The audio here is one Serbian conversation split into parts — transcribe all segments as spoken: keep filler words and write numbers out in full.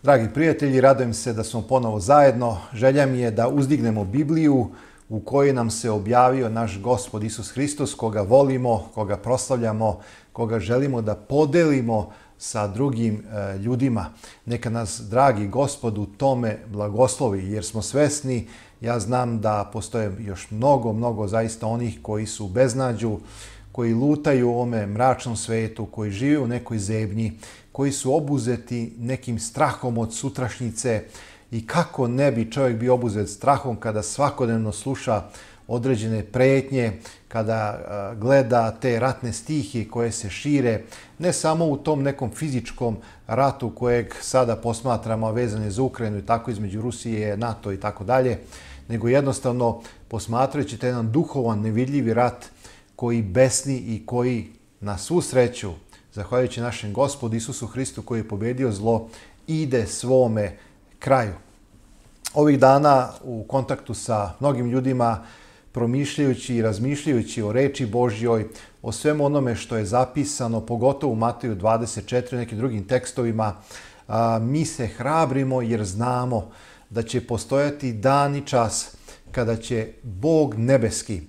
Dragi prijatelji, radujem se da smo ponovo zajedno. Želja mi je da uzdignemo Bibliju u kojoj nam se objavio naš Gospod Isus Hristos, koga volimo, koga proslavljamo, koga želimo da podelimo sa drugim e, ljudima. Neka nas, dragi Gospod, u tome blagoslovi, jer smo svesni, ja znam da postoje još mnogo, mnogo zaista onih koji su u beznađu, koji lutaju u ovome mračnom svetu, koji žive u nekoj zebnji, koji su obuzeti nekim strahom od sutrašnjice. I kako ne bi čovjek bio obuzet strahom kada svakodnevno sluša određene pretnje, kada gleda te ratne stihije koje se šire, ne samo u tom nekom fizičkom ratu kojeg sada posmatramo vezane za Ukrajinu i tako između Rusije, NATO i tako dalje, nego jednostavno posmatrajući taj jedan duhovan, nevidljivi rat koji besni i koji na svu sreću, zahvaljujući našem Gospodu Isusu Hristu koji je pobedio zlo, ide svome kraju. Ovih dana u kontaktu sa mnogim ljudima, promišljajući i razmišljajući o reči Božjoj, o svemu onome što je zapisano, pogotovo u Mateju dvadeset četiri i nekim drugim tekstovima, mi se hrabrimo jer znamo da će postojati dan i čas kada će Bog nebeski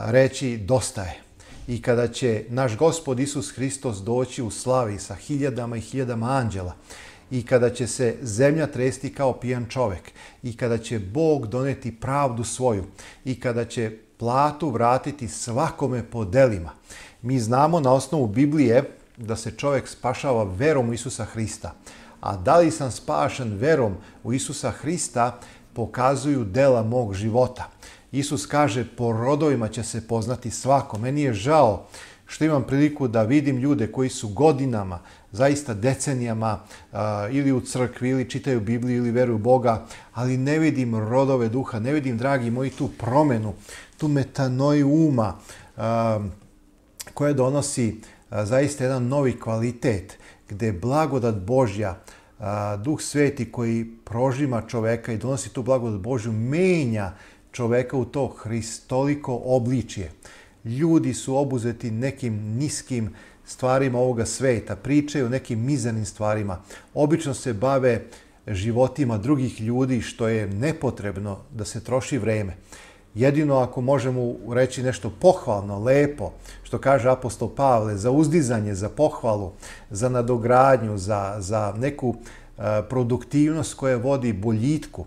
reći dosta je. I kada će naš Gospod Isus Hristos doći u slavi sa hiljadama i hiljadama anđela, i kada će se zemlja tresti kao pijan čovjek, i kada će Bog doneti pravdu svoju, i kada će platu vratiti svakome po delima. Mi znamo na osnovu Biblije da se čovjek spašava verom u Isusa Hrista. A da li sam spašen verom u Isusa Hrista pokazuju dela mog života. Isus kaže, po rodovima će se poznati svako. Meni je žao što imam priliku da vidim ljude koji su godinama, zaista decenijama, ili u crkvi, ili čitaju Bibliju, ili veruju u Boga, ali ne vidim rodove duha, ne vidim, dragi moji, tu promenu, tu metanoju uma, koja donosi zaista jedan novi kvalitet, gde blagodat Božja, Duh Sveti koji prožima čoveka i donosi tu blagodat Božju, menja čoveka u to hristoliko obličje. Ljudi su obuzeti nekim niskim stvarima ovoga sveta, pričaju o nekim mizernim stvarima. Obično se bave životima drugih ljudi, što je nepotrebno da se troši vreme. Jedino ako možemo reći nešto pohvalno, lepo, što kaže apostol Pavle, za uzdizanje, za pohvalu, za nadogradnju, za, za neku e, produktivnost koja vodi boljitku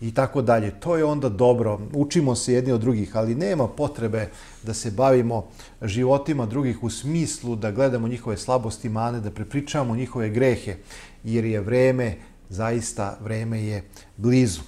i tako dalje. To je onda dobro. Učimo se jedni od drugih, ali nema potrebe da se bavimo životima drugih u smislu da gledamo njihove slabosti, mane, da prepričavamo njihove grehe, jer je vreme, zaista vreme je blizu.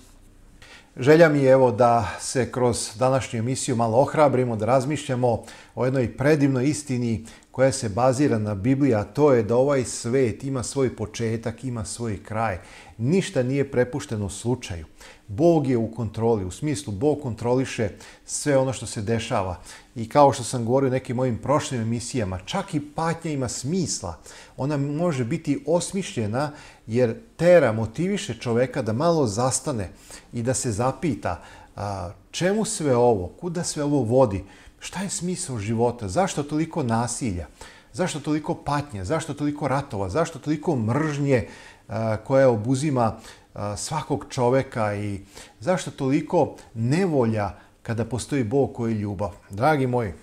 Želja mi je evo da se kroz današnju emisiju malo ohrabrimo, da razmišljamo o jednoj predivnoj istini koja se bazira na Bibliji, a to je da ovaj svet ima svoj početak, ima svoj kraj. Ništa nije prepušteno slučaju. Bog je u kontroli, u smislu Bog kontroliše sve ono što se dešava. I kao što sam govorio u nekim mojim prošlim emisijama, čak i patnja ima smisla. Ona može biti osmišljena jer tera, motiviše čoveka da malo zastane i da se zapita a, čemu sve ovo, kuda sve ovo vodi, šta je smisao života, zašto toliko nasilja, zašto toliko patnje, zašto toliko ratova, zašto toliko mržnje a, koja obuzima a, svakog čoveka i zašto toliko nevolja kada postoji Bog koji je ljubav. Dragi moji,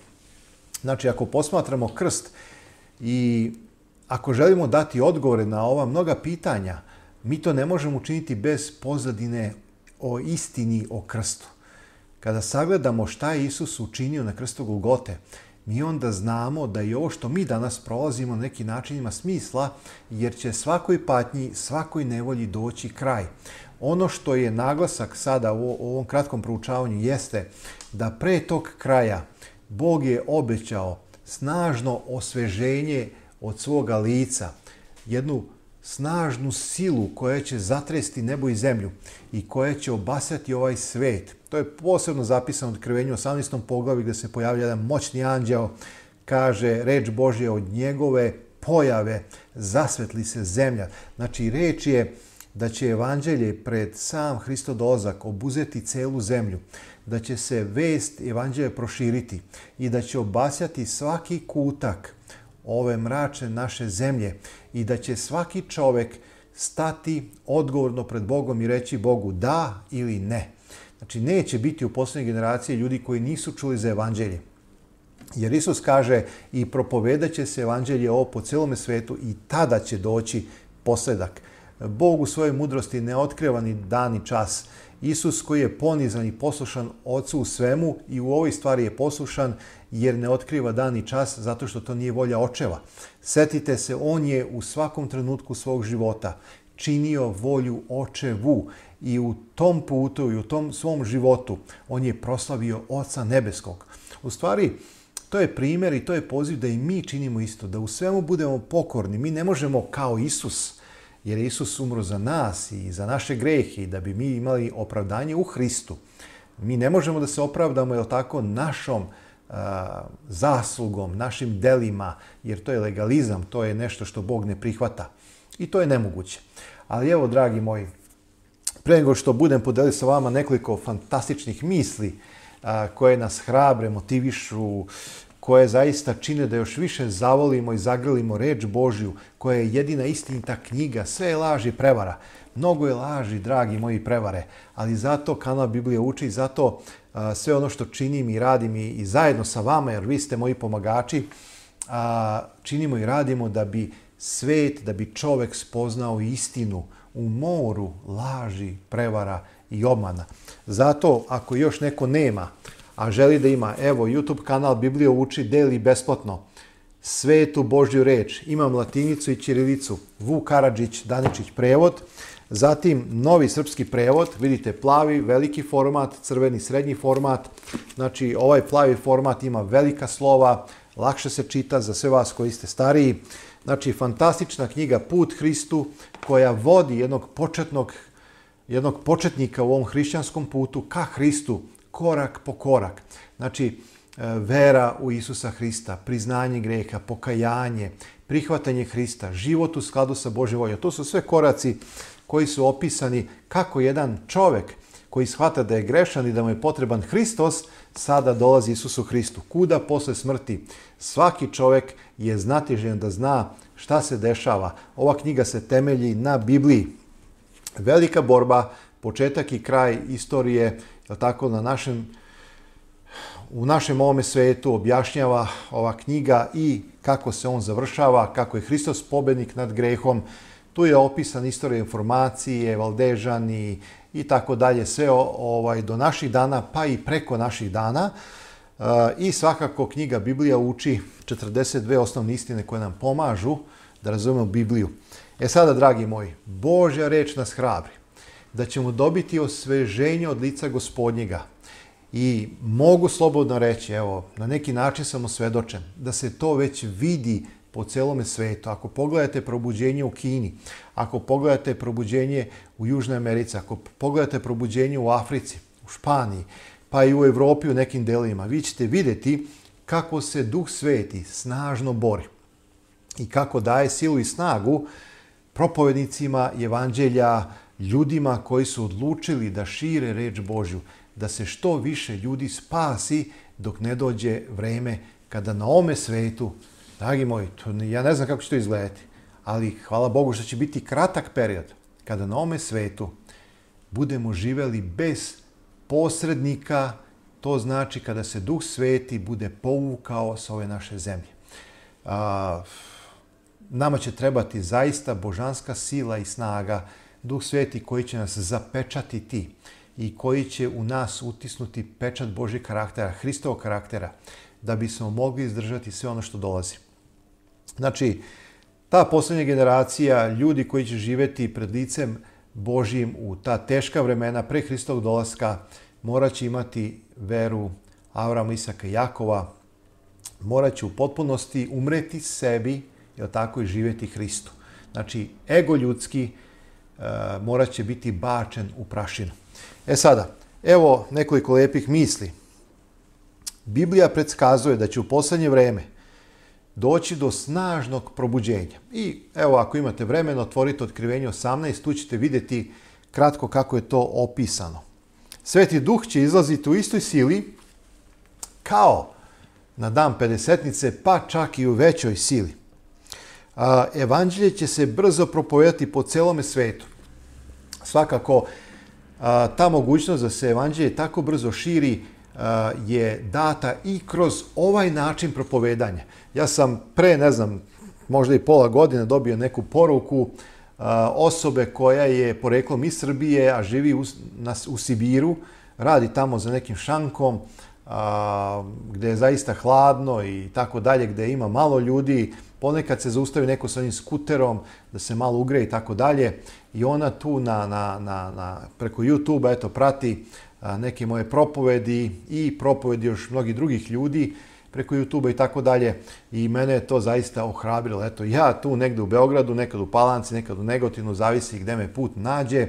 znači ako posmatramo krst i ako želimo dati odgovore na ova mnoga pitanja, mi to ne možemo učiniti bez pozadine o istini o krstu. Kada sagledamo šta je Isus učinio na krstu Golgote, mi onda znamo da i ovo što mi danas prolazimo na neki način ima smisla, jer će svakoj patnji, svakoj nevolji doći kraj. Ono što je naglasak sada u ovom kratkom proučavanju jeste da pre tog kraja Bog je obećao snažno osveženje od svoga lica, jednu snažnu silu koja će zatresti nebo i zemlju i koja će obasjati ovaj svet. To je posebno zapisano u Otkrivenju osamnaestom poglavlju gdje se pojavlja jedan moćni anđeo, kaže reč Božja od njegove pojave zasvetli se zemlja. Znači reč je da će evanđelje pred sam Hristov dolazak obuzeti celu zemlju, da će se vest evanđelja proširiti i da će obasjati svaki kutak ove mračne naše zemlje i da će svaki čovjek stati odgovorno pred Bogom i reći Bogu da ili ne. Znači, neće biti u posljednjoj generaciji ljudi koji nisu čuli za evanđelje. Jer Isus kaže i propovedat će se evanđelje ovo po celome svetu i tada će doći posljedak. Bog u svojoj mudrosti ne otkriva ni dan ni čas. Isus koji je ponizan i poslušan Ocu u svemu i u ovoj stvari je poslušan jer ne otkriva dan ni čas zato što to nije volja očeva. Setite se, on je u svakom trenutku svog života činio volju očevu i u tom putu i u tom svom životu on je proslavio Oca nebeskog. U stvari, to je primjer i to je poziv da i mi činimo isto, da u svemu budemo pokorni. Mi ne možemo kao Isus, jer je Isus umro za nas i za naše grehe i da bi mi imali opravdanje u Hristu. Mi ne možemo da se opravdamo, jel tako, našom uh, zaslugom, našim delima, jer to je legalizam, to je nešto što Bog ne prihvata. I to je nemoguće. Ali evo, dragi moji, pre nego što budem podelio sa vama nekoliko fantastičnih misli uh, koje nas hrabre, motivišu, koje zaista čine da još više zavolimo i zagrlimo reč Božju, koja je jedina istinita knjiga. Sve je laž i prevara. Mnogo je laži, dragi moji, prevare, ali zato kanal Biblija uči i zato a, sve ono što činim i radim i, i zajedno sa vama, jer vi ste moji pomagači, a, činimo i radimo da bi svet, da bi čovek spoznao istinu u moru laži, prevara i obmana. Zato, ako još neko nema, a želi da ima, evo, YouTube kanal Biblija uči, deli besplatno svetu Božju reč. Imam latinicu i ćirilicu. Vuk Karadžić, Daničić prevod. Zatim novi srpski prevod. Vidite, plavi, veliki format, crveni, srednji format. Znači, ovaj plavi format ima velika slova, lakše se čita za sve vas koji ste stariji. Znači, fantastična knjiga Put Hristu koja vodi jednog početnog, jednog početnika u ovom hrišćanskom putu ka Hristu, korak po korak. Znači, vera u Isusa Hrista, priznanje greha, pokajanje, prihvatanje Hrista, život u skladu sa Božjom voljom. To su sve koraci koji su opisani kako jedan čovjek koji shvata da je grešan i da mu je potreban Hristos, sada dolazi Isusu Hristu. Kuda posle smrti? Svaki čovjek je znatiželjan da zna šta se dešava. Ova knjiga se temelji na Bibliji. Velika borba, početak i kraj istorije, tako na našem, u našem ovome svetu objašnjava ova knjiga i kako se on završava, kako je Hristos pobednik nad grehom. Tu je opisan istorija informacije, Valdežani i tako dalje, sve ovaj, do naših dana, pa i preko naših dana. E, I svakako knjiga Biblija uči četrdeset dve osnovne istine koje nam pomažu da razumemo Bibliju. E sada, dragi moji, Božja reč nas hrabri da ćemo dobiti osveženje od lica Gospodnjega. I mogu slobodno reći, evo, na neki način sam osvedočen, da se to već vidi po celome svetu. Ako pogledate probuđenje u Kini, ako pogledate probuđenje u Južnoj Americi, ako pogledate probuđenje u Africi, u Španiji, pa i u Evropi u nekim delima, vi ćete vidjeti kako se Duh Sveti snažno bori i kako daje silu i snagu propovednicima evanđelja, ljudima koji su odlučili da šire reč Božju, da se što više ljudi spasi dok ne dođe vreme kada na ovome svetu, dragi moji, to, ja ne znam kako će to izgledati, ali hvala Bogu što će biti kratak period kada na ovome svetu budemo živeli bez posrednika, to znači kada se Duh Sveti bude povukao sa ove naše zemlje. A, nama će trebati zaista božanska sila i snaga, Duh Sveti koji će nas zapečatiti i koji će u nas utisnuti pečat Božjeg karaktera, Hristovog karaktera, da bismo mogli izdržati sve ono što dolazi. Znači, ta posljednja generacija, ljudi koji će živjeti pred licem Božjim u ta teška vremena pre Hristovog dolaska, morat će imati veru Avrama, Isaka i Jakova, morat će u potpunosti umreti sebi, jel tako, i živjeti Hristu. Znači, ego ljudski uh, morat će biti bačen u prašinu. E sada, evo nekoliko lijepih misli. Biblija predskazuje da će u posljednje vreme doći do snažnog probuđenja. I evo, ako imate vremena, otvorite Otkrivenje osamnaest, tu ćete vidjeti kratko kako je to opisano. Sveti Duh će izlaziti u istoj sili kao na dan pedesetnice, pa čak i u većoj sili. Evanđelje će se brzo propovedati po celome svetu. Svakako, ta mogućnost da se evanđelje tako brzo širi je data i kroz ovaj način propovedanja. Ja sam pre, ne znam, možda i pola godine dobio neku poruku osobe koja je poreklom iz Srbije, a živi u, na, u Sibiru, radi tamo za nekim šankom, a, gde je zaista hladno i tako dalje, gde ima malo ljudi, ponekad se zaustavi neko sa onim skuterom da se malo ugreje i tako dalje. I ona tu na, na, na, na, preko YouTube-a eto, prati a, neke moje propovedi i propovedi još mnogih drugih ljudi preko YouTube-a i tako dalje. I mene je to zaista ohrabrilo. Eto, ja tu negde u Beogradu, nekad u Palanci, nekad u Negotinu, zavisi gde me put nađe,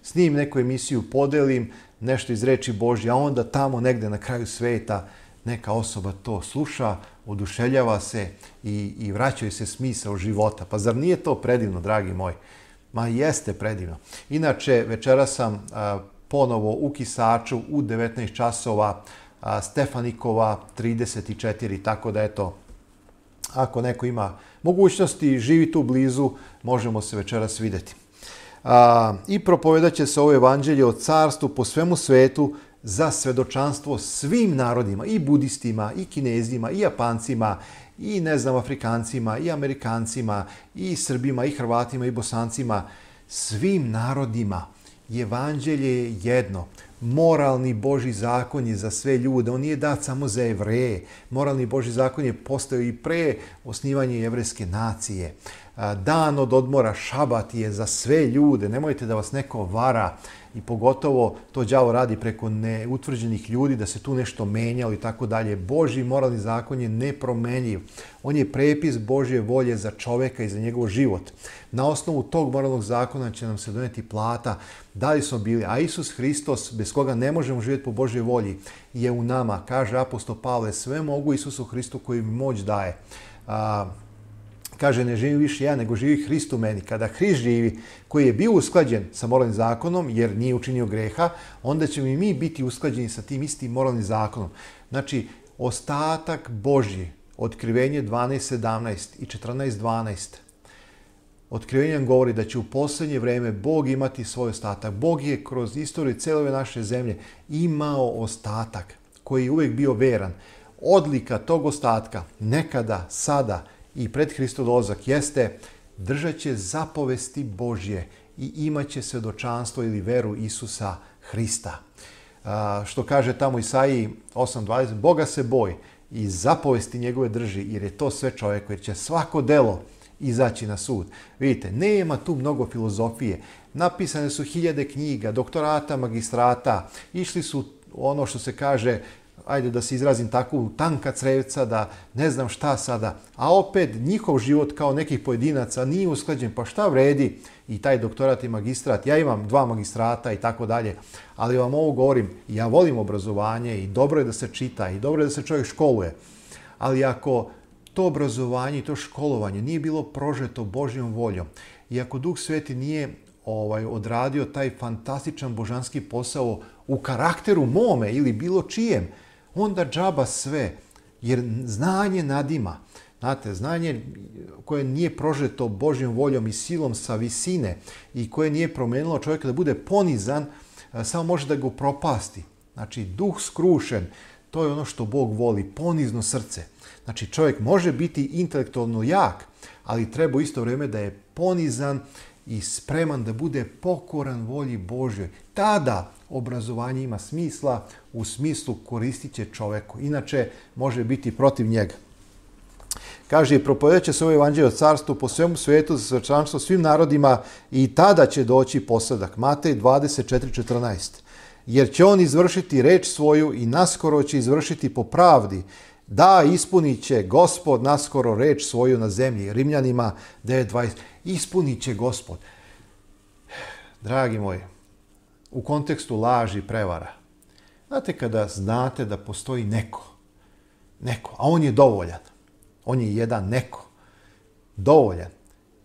snim neku emisiju, podelim nešto iz reči Božje, a onda tamo negde na kraju sveta neka osoba to sluša, oduševljava se i, i vraćaju se smisao života. Pa zar nije to predivno, dragi moji? Ma jeste predivno. Inače, večera sam a, ponovo u Kisaču u devetnaest časova, a, Stefanikova trideset četiri, tako da eto, ako neko ima mogućnosti, živi tu blizu, možemo se večeras videti. A, I propovedat će se ovo evanđelje o carstvu po svemu svetu za svedočanstvo svim narodima, i budistima, i kinezima, i Japancima, i ne znam, Afrikancima, i Amerikancima, i Srbima, i Hrvatima, i Bosancima, svim narodima. Evanđelje je jedno. Moralni Božji zakon je za sve ljude. On nije dat samo za Jevreje. Moralni Božji zakon je postojao i pre osnivanja jevrejske nacije. Dan od odmora, šabat, je za sve ljude. Nemojte da vas neko vara i pogotovo to đavo radi preko neutvrđenih ljudi, da se tu nešto menjalo i tako dalje. Božji moralni zakon je nepromenjiv. On je prepis Božje volje za čoveka i za njegov život. Na osnovu tog moralnog zakona će nam se doneti plata. Da li smo bili? A Isus Hristos, bez koga ne možemo živjeti po Božjoj volji, je u nama. Kaže apostol Pavle, sve mogu Isusu Hristu koji mi moć daje. A, Kaže, ne živim više ja, nego živi Hrist u meni. Kada Hrist živi, koji je bio usklađen sa moralnim zakonom, jer nije učinio greha, onda ćemo i mi biti usklađeni sa tim istim moralnim zakonom. Znači, ostatak Božji, Otkrivenje dvanaest sedamnaest i četrnaest dvanaest, Otkrivenje nam govori da će u posljednje vreme Bog imati svoj ostatak. Bog je kroz istoriju cijele naše zemlje imao ostatak koji je uvijek bio veran. Odlika tog ostatka nekada, sada i pred Hristov dolazak jeste držat će zapovesti Božje i imat će svedočanstvo ili veru Isusa Hrista. A, što kaže tamo Isaiji osam dvadeset, Boga se boj i zapovesti njegove drži, jer je to sve čovjeko, jer će svako delo izaći na sud. Vidite, nema tu mnogo filozofije. Napisane su hiljade knjiga, doktorata, magistrata, išli su ono što se kaže, ajde da se izrazim tako, u tanka crevca, da ne znam šta sada, a opet njihov život kao nekih pojedinaca nije usklađen, pa šta vredi i taj doktorat i magistrat. Ja imam dva magistrata i tako dalje, ali vam ovo govorim, ja volim obrazovanje i dobro je da se čita i dobro je da se čovjek školuje, ali ako to obrazovanje i to školovanje nije bilo prožeto Božjom voljom i ako Duh Sveti nije ovaj, odradio taj fantastičan božanski posao u karakteru mome ili bilo čijem, onda džaba sve, jer znanje nadima. Znate, znanje koje nije prožeto Božjom voljom i silom sa visine i koje nije promenilo čovjeka da bude ponizan, samo može da ga propasti. Znači, duh skrušen, to je ono što Bog voli, ponizno srce. Znači, čovjek može biti intelektualno jak, ali treba u isto vrijeme da je ponizan i spreman da bude pokoran volji Božjoj. Tada obrazovanje ima smisla, u smislu koristit će čoveku. Inače, može biti protiv njega. Kaže, propovedat će se ovo evanđelje o carstvu po svemu svijetu za svedočanstvo svim narodima i tada će doći posadak. Matej dvadeset četiri četrnaest. Jer će on izvršiti reč svoju i naskoro će izvršiti po pravdi. Da, ispunit će Gospod naskoro reč svoju na zemlji. Rimljanima devet dvadeset. Ispunit će Gospod. Dragi moji, u kontekstu laži i prevara. Znate kada znate da postoji neko, neko, a on je dovoljan, on je jedan neko, dovoljan,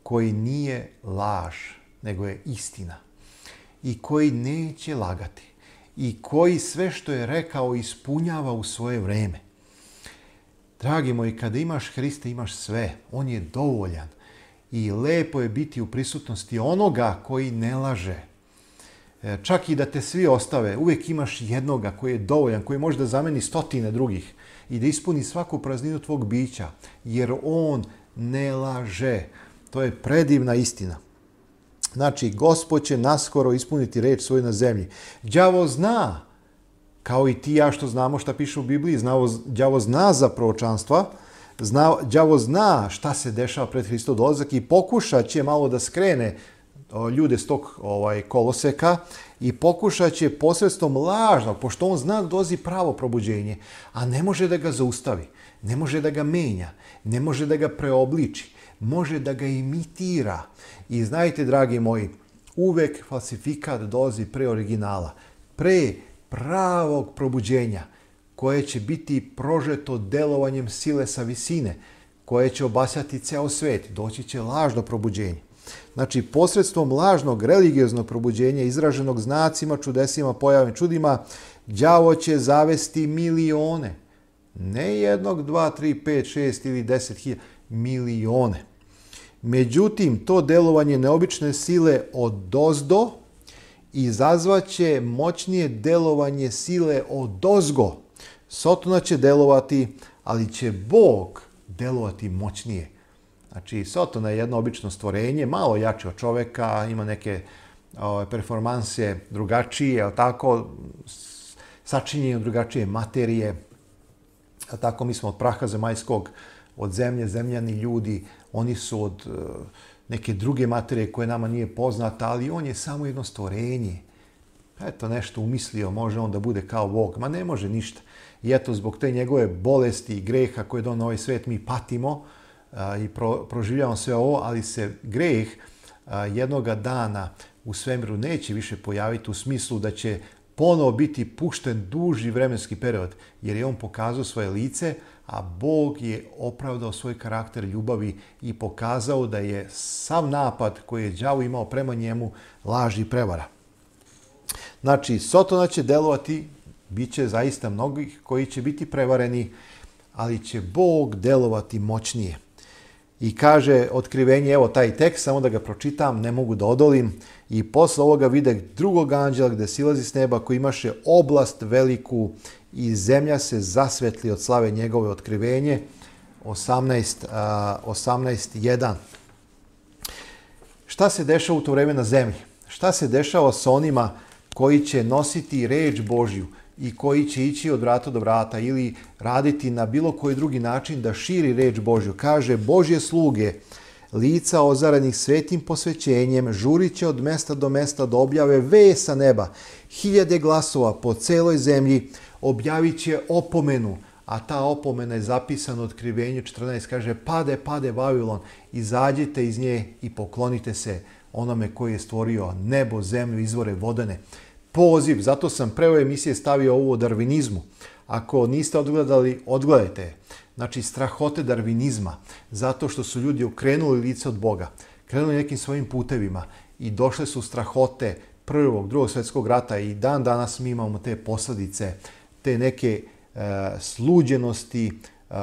koji nije laž, nego je istina i koji neće lagati i koji sve što je rekao ispunjava u svoje vrijeme. Dragi moji, kada imaš Hrista, imaš sve. On je dovoljan. I lepo je biti u prisutnosti onoga koji ne laže. Čak i da te svi ostave, uvijek imaš jednoga koji je dovoljan, koji može da zameni stotine drugih i da ispuni svaku prazninu tvog bića, jer on ne laže. To je predivna istina. Znači, Gospod će naskoro ispuniti reč svoju na zemlji. Đavo zna, kao i ti ja što znamo šta piše u Bibliji, đavo zna za proročanstva, zna, đavo zna šta se dešava pred Hristov dolazak i pokušat će malo da skrene ljude s tog ovaj, koloseka i pokušat će posredstvom lažnog, pošto on zna da dolazi pravo probuđenje, a ne može da ga zaustavi, ne može da ga menja, ne može da ga preobliči, može da ga imitira. I znajte, dragi moji, uvek falsifikat dolazi pre originala, pre pravog probuđenja, koje će biti prožeto delovanjem sile sa visine, koje će obasjati ceo svet. Doći će lažno probuđenje. Znači, posredstvom lažnog religioznog probuđenja, izraženog znacima, čudesima, pojavnim čudima, đavo će zavesti milione. Ne jednog, dva, tri, pet, šest ili deset hiljada, milione. Međutim, to delovanje neobične sile odozdo izazvaće moćnije delovanje sile odozgo. Sotona će delovati, ali će Bog delovati moćnije. Znači, Sotona je jedno obično stvorenje, malo jače od čoveka, ima neke o, performanse drugačije, tako, sačinjene od drugačije materije. A tako, mi smo od praha zemaljskog, od zemlje, zemljani ljudi, oni su od uh, neke druge materije koje nama nije poznata, ali on je samo jedno stvorenje. Eto, nešto umislio, može on da bude kao Bog. Ma ne može ništa. I eto, zbog te njegove bolesti i greha koje donio ovaj svet, mi patimo uh, i pro, proživljavamo sve ovo, ali se greh uh, jednoga dana u svemiru neće više pojaviti u smislu da će ponovo biti pušten duži vremenski period, jer je on pokazao svoje lice, a Bog je opravdao svoj karakter ljubavi i pokazao da je sav napad koji je đavo imao prema njemu laž i prevara. Znači, Sotona će delovati, bit će zaista mnogih koji će biti prevareni, ali će Bog delovati moćnije. I kaže otkrivenje, evo taj tekst, samo da ga pročitam, ne mogu da odolim. I posle ovoga vide drugog anđela gde silazi s neba koji imaše oblast veliku i zemlja se zasvetli od slave njegove. Otkrivenje osamnaest jedan. Šta se dešava u to vreme na zemlji? Šta se dešava sa onima koji će nositi reč Božju i koji će ići od vrata do vrata ili raditi na bilo koji drugi način da širi reč Božju? Kaže, Božje sluge, lica ozarenih svetim posvećenjem, žurit će od mesta do mesta da objave vest sa neba. Hiljade glasova po celoj zemlji objavit će opomenu, a ta opomena je zapisana u Otkrivenju četrnaest, kaže, pade, pade Vavilon, izađite iz nje i poklonite se onome koji je stvorio nebo, zemlju, izvore vodene. Poziv, zato sam pre ove emisije stavio ovo o darvinizmu. Ako niste odgledali, odgledajte je. Znači, strahote darvinizma, zato što su ljudi okrenuli lice od Boga, krenuli nekim svojim putevima i došle su strahote prvog, drugog svjetskog rata i dan danas mi imamo te posljedice, te neke e, sluđenosti e,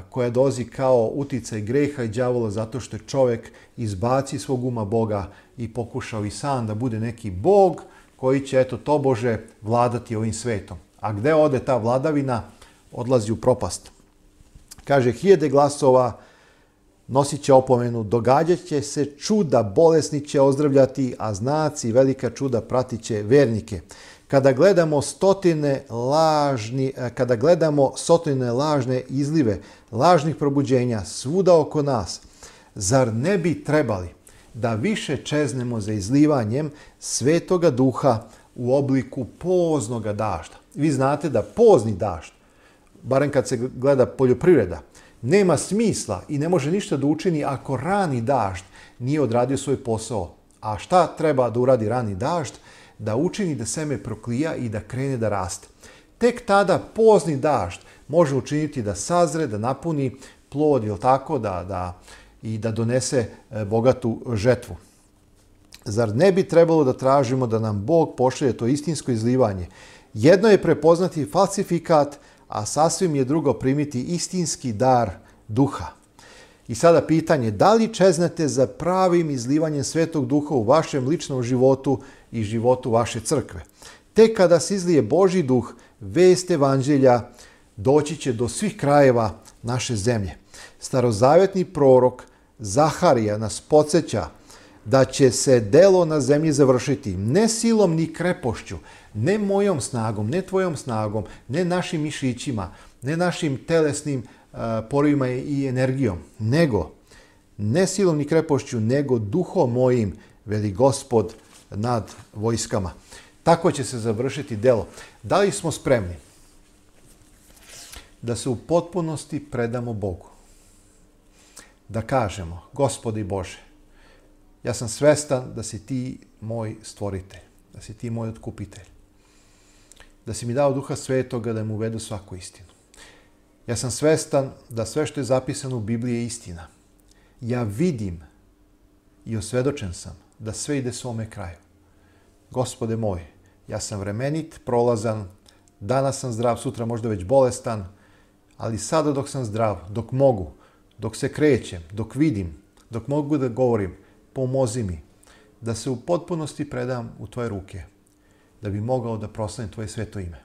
koja dolazi kao uticaj greha i đavola zato što je čovjek izbaci svog uma Boga i pokušao i sam da bude neki Bog koji će, eto, tobože vladati ovim svetom. A gde ode ta vladavina, odlazi u propast. Kaže, hiljade glasova nosit će opomenu, događat će se čuda, bolesni će ozdravljati, a znaci velika čuda pratit će vernike. Kada gledamo stotine lažni, kada gledamo stotine lažne izlive, lažnih probuđenja svuda oko nas, zar ne bi trebali da više čeznemo za izlivanjem Svetoga Duha u obliku poznoga dažda? Vi znate da pozni dažd, barem kad se gleda poljoprivreda, nema smisla i ne može ništa da učini ako rani dažd nije odradio svoj posao. A šta treba da uradi rani dažd? Da učini da seme proklija i da krene da raste. Tek tada pozni dažd može učiniti da sazre, da napuni plod, ili tako, da, da, i da donese bogatu žetvu. Zar ne bi trebalo da tražimo da nam Bog pošalje to istinsko izlivanje? Jedno je prepoznati falsifikat, a sasvim je drugo primiti istinski dar duha. I sada pitanje, da li čeznete za pravim izlivanjem Svetog Duha u vašem ličnom životu i životu vaše crkve? Tek kada se izlije Božji duh, vest evanđelja doći će do svih krajeva naše zemlje. Starozavetni prorok Zaharija nas podsjeća da će se delo na zemlji završiti ne silom ni krepošću, ne mojom snagom, ne tvojom snagom, ne našim mišićima, ne našim telesnim uh, porivima i energijom, nego ne silom ni krepošću, nego duhom mojim, veli Gospod nad vojskama. Tako će se završiti delo. Da li smo spremni da se u potpunosti predamo Bogu? Da kažemo, Gospodi Bože, ja sam svestan da si ti moj stvoritelj, da si ti moj otkupitelj, da si mi dao Duha Svetoga da mu uvedu svaku istinu. Ja sam svestan da sve što je zapisano u Bibliji je istina. Ja vidim i osvedočen sam da sve ide svome kraju. Gospode moj, ja sam vremenit, prolazan, danas sam zdrav, sutra možda već bolestan, ali sada dok sam zdrav, dok mogu, dok se krećem, dok vidim, dok mogu da govorim, pomozi mi da se u potpunosti predam u tvoje ruke, da bi mogao da proslavim tvoje sveto ime.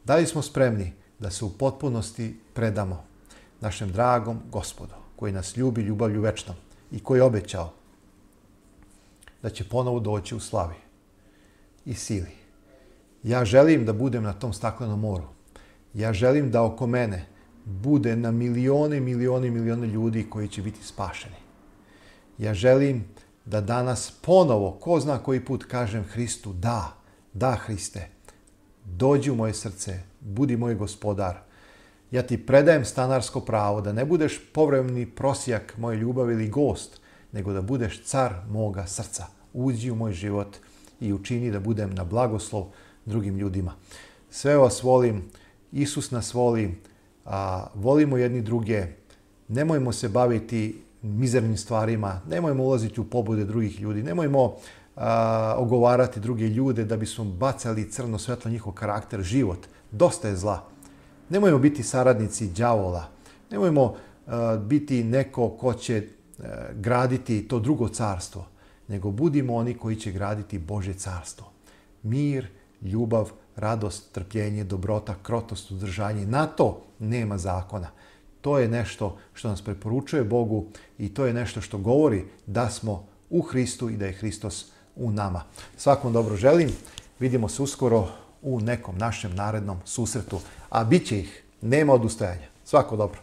Da li smo spremni da se u potpunosti predamo našem dragom Gospodu, koji nas ljubi ljubavlju večnom i koji je obećao da će ponovo doći u slavi i sili. Ja želim da budem na tom staklenom moru. Ja želim da oko mene bude na milione, milione, milione ljudi koji će biti spašeni. Ja želim da danas ponovo, ko zna koji put, kažem Hristu, da, da Hriste, dođi u moje srce, budi moj gospodar. Ja ti predajem stanarsko pravo da ne budeš povremeni prosjak moje ljubavi ili gost, nego da budeš car moga srca. Uđi u moj život i učini da budem na blagoslov drugim ljudima. Sve vas volim, Isus nas voli, a, volimo jedni druge, nemojmo se baviti mizernim stvarima, nemojmo ulaziti u pobude drugih ljudi, nemojmo a, ogovarati druge ljude da bismo bacali crno svetlo njihov karakter, život. Dosta je zla. Nemojmo biti saradnici đavola, nemojmo a, biti neko ko će a, graditi to drugo carstvo, nego budimo oni koji će graditi Božje carstvo. Mir, ljubav, radost, trpljenje, dobrota, krotost, uzdržanje. Na to nema zakona. To je nešto što nas preporučuje Bogu i to je nešto što govori da smo u Hristu i da je Hristos u nama. Svakom dobro želim. Vidimo se uskoro u nekom našem narednom susretu. A bit će ih. Nema odustajanja. Svako dobro.